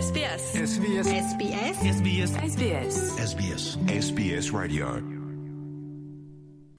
SBS. SBS. SBS. SBS. SBS. SBS. SBS Radio.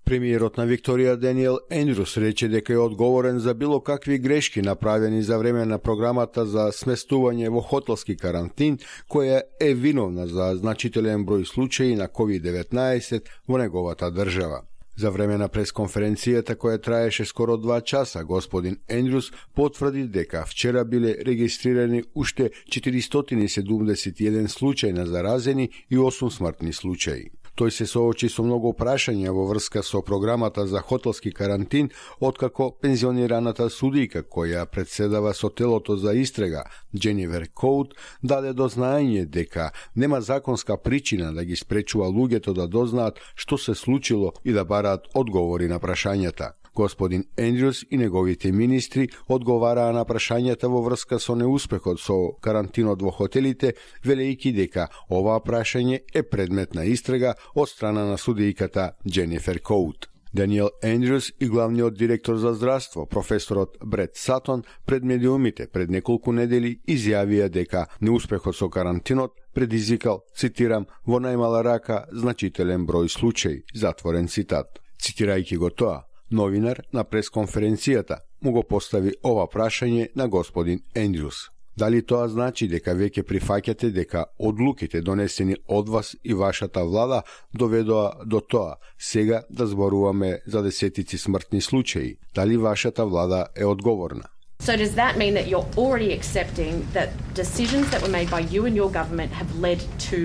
Премиерот на Викторија Даниел Ендрюс рече дека е одговорен за било какви грешки направени за време на програмата за сместување во хотелски карантин, која е виновна за значителен број случаи на COVID-19 во неговата држава. За време на пресконференцијата која траеше скоро 2 часа, господин Ендрюс потврди дека вчера биле регистрирани уште 471 случаи на заразени и 8 смртни случаи. Тој се соочи со многу прашања во врска со програмата за хотелски карантин, откако пензионираната судијка која председава со телото за истрага, Дженифер Коут, даде до знаење дека нема законска причина да ги спречува луѓето да дознаат што се случило и да бараат одговори на прашањата. Господин Ендрюс и неговите министри одговараа на прашањата во врска со неуспехот со карантинот во хотелите, велејќи дека оваа прашање е предмет на истрага од страна на судијката Дженифер Коут. Даниел Ендрюс и главниот директор за здравство, професорот Брет Сатон, пред медиумите пред неколку недели изјавија дека неуспехот со карантинот предизвикал, цитирам, во најмала рака значителен број случаи, затворен цитат. Цитирајќи го тоа, новинар на пресконференцијата му го постави ова прашање на господин Ендрюс. Дали тоа значи дека веќе прифаќате дека одлуките донесени од вас и вашата влада доведоа до тоа сега да зборуваме за десетици смртни случаи? Дали вашата влада е одговорна? So does that mean that you're already accepting that decisions that were made by you and your government have led to,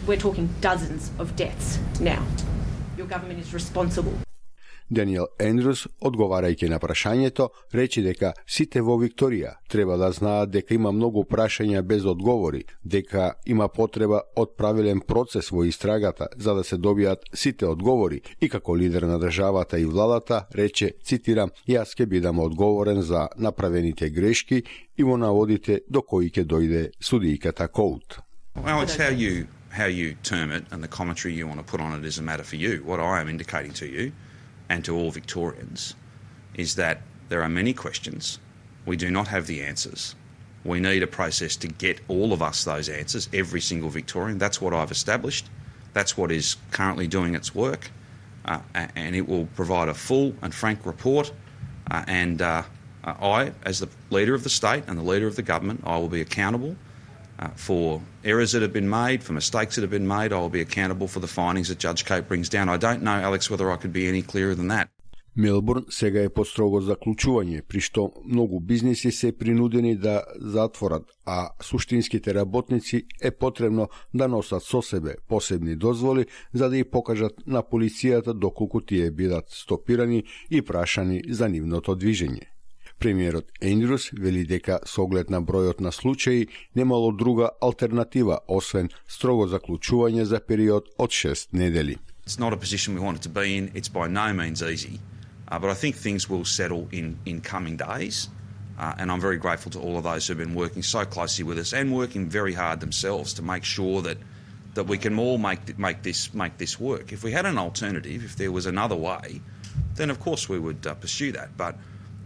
we're talking dozens of deaths now? Your government is responsible. Даниел Ендрюс, одговарајќи на прашањето, рече дека сите во Викторија треба да знаат дека има многу прашања без одговори, дека има потреба од правилен процес во истрагата за да се добијат сите одговори и како лидер на државата и владата рече, цитирам, јас ќе бидам одговорен за направените грешки и во наводите до кои ќе дојде судијката Коут. Well, it's how you term it and the commentary you want to put on it is a matter for you. What I am indicating to you and to all Victorians is that there are many questions. We do not have the answers. We need a process to get all of us those answers, every single Victorian. That's what I've established. That's what is currently doing its work. And it will provide a full and frank report. I, as the leader of the state and the leader of the government, I will be accountable for errors that have been made, for mistakes that have been made. I will be accountable for the findings that Judge Coate brings down. I don't know, Alex, whether I could be any clearer than that. Мелбурн сега е под строго заклучување, при што многу бизниси се принудени да затворат, а суштинските работници е потребно да носат со себе посебни дозволи за да ја покажат на полицијата доколку тие бидат стопирани и прашани за нивното движење. Премиерот Ендрюс вели дека со оглед на бројот на случаи немало друга алтернатива освен строго заклучување за период од 6 недели. It's not a position we wanted to be in. It's by no means easy. But I think things will settle in coming days. And I'm very grateful to all of those who have been working so closely with us and working very hard themselves to make sure that we can all make this work. If we had an alternative, if there was another way, then of course we would pursue that. But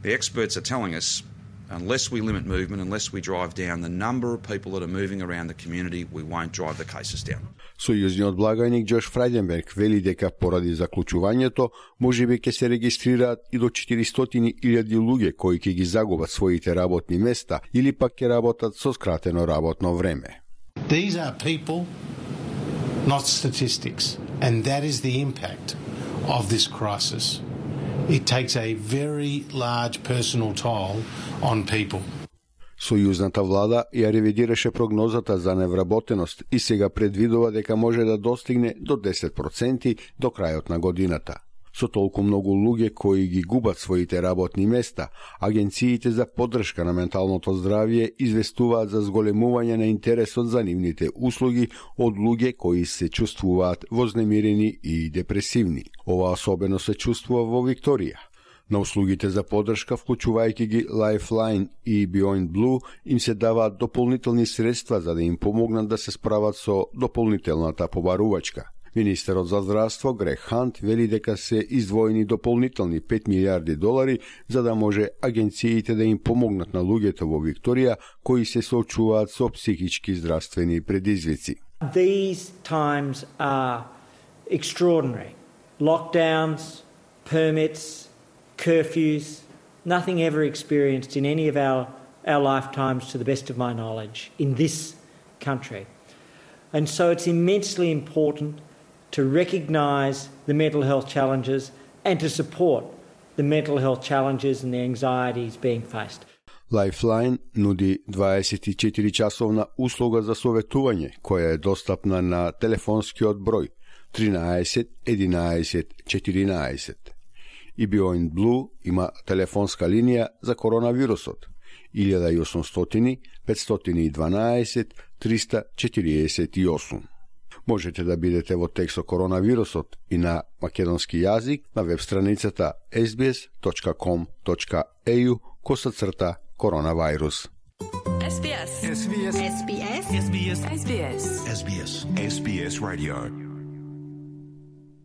the experts are telling us, unless we limit movement, unless we drive down the number of people that are moving around the community, we won't drive the cases down. Сојузниот благајник Джош Фрајденберг вели дека поради заклучувањето можеби ќе се регистрираат и до 400.000 луѓе кои ќе ги загубат своите работни места или пак ќе работат со скратено работно време. These are people, not statistics, and that is the impact of this crisis. It takes a very large personal toll on people. Сојузната влада ја ревидираше прогнозата за невработеност и сега предвидува дека може да достигне до 10% до крајот на годината. Со толку многу луѓе кои ги губат своите работни места, агенциите за поддршка на менталното здравје известуваат за зголемување на интересот за нивните услуги од луѓе кои се чувствуваат вознемирени и депресивни. Ова особено се чувствува во Викторија. На услугите за поддршка, вклучувајќи ги Lifeline и Beyond Blue, им се даваат дополнителни средства за да им помогнат да се справат со дополнителната побарувачка. Министерот за здравство Грег Хант вели дека се издвоени дополнителни $5 милиарди за да може агенциите да им помогнат на луѓето во Викторија кои се соочуваат со психички здравствени предизвици. These times are extraordinary. Lockdowns, permits, curfews, nothing ever experienced in any of our lifetimes, to the best of my knowledge, in this country. And so it's immensely important to recognise the mental health challenges and to support the mental health challenges and the anxieties being faced. Lifeline нуди 24-часовна услуга за советување, која е достапна на телефонскиот број 13 11 14. И Beyond Blue има телефонска линија за коронавирусот 1800 512 348. Можете да бидете во текст со коронавирусот и на македонски јазик на веб страницата sbs.com.au/коронавирус. SBS. SBS. SBS. SBS. SBS. SBS. SBS Radio.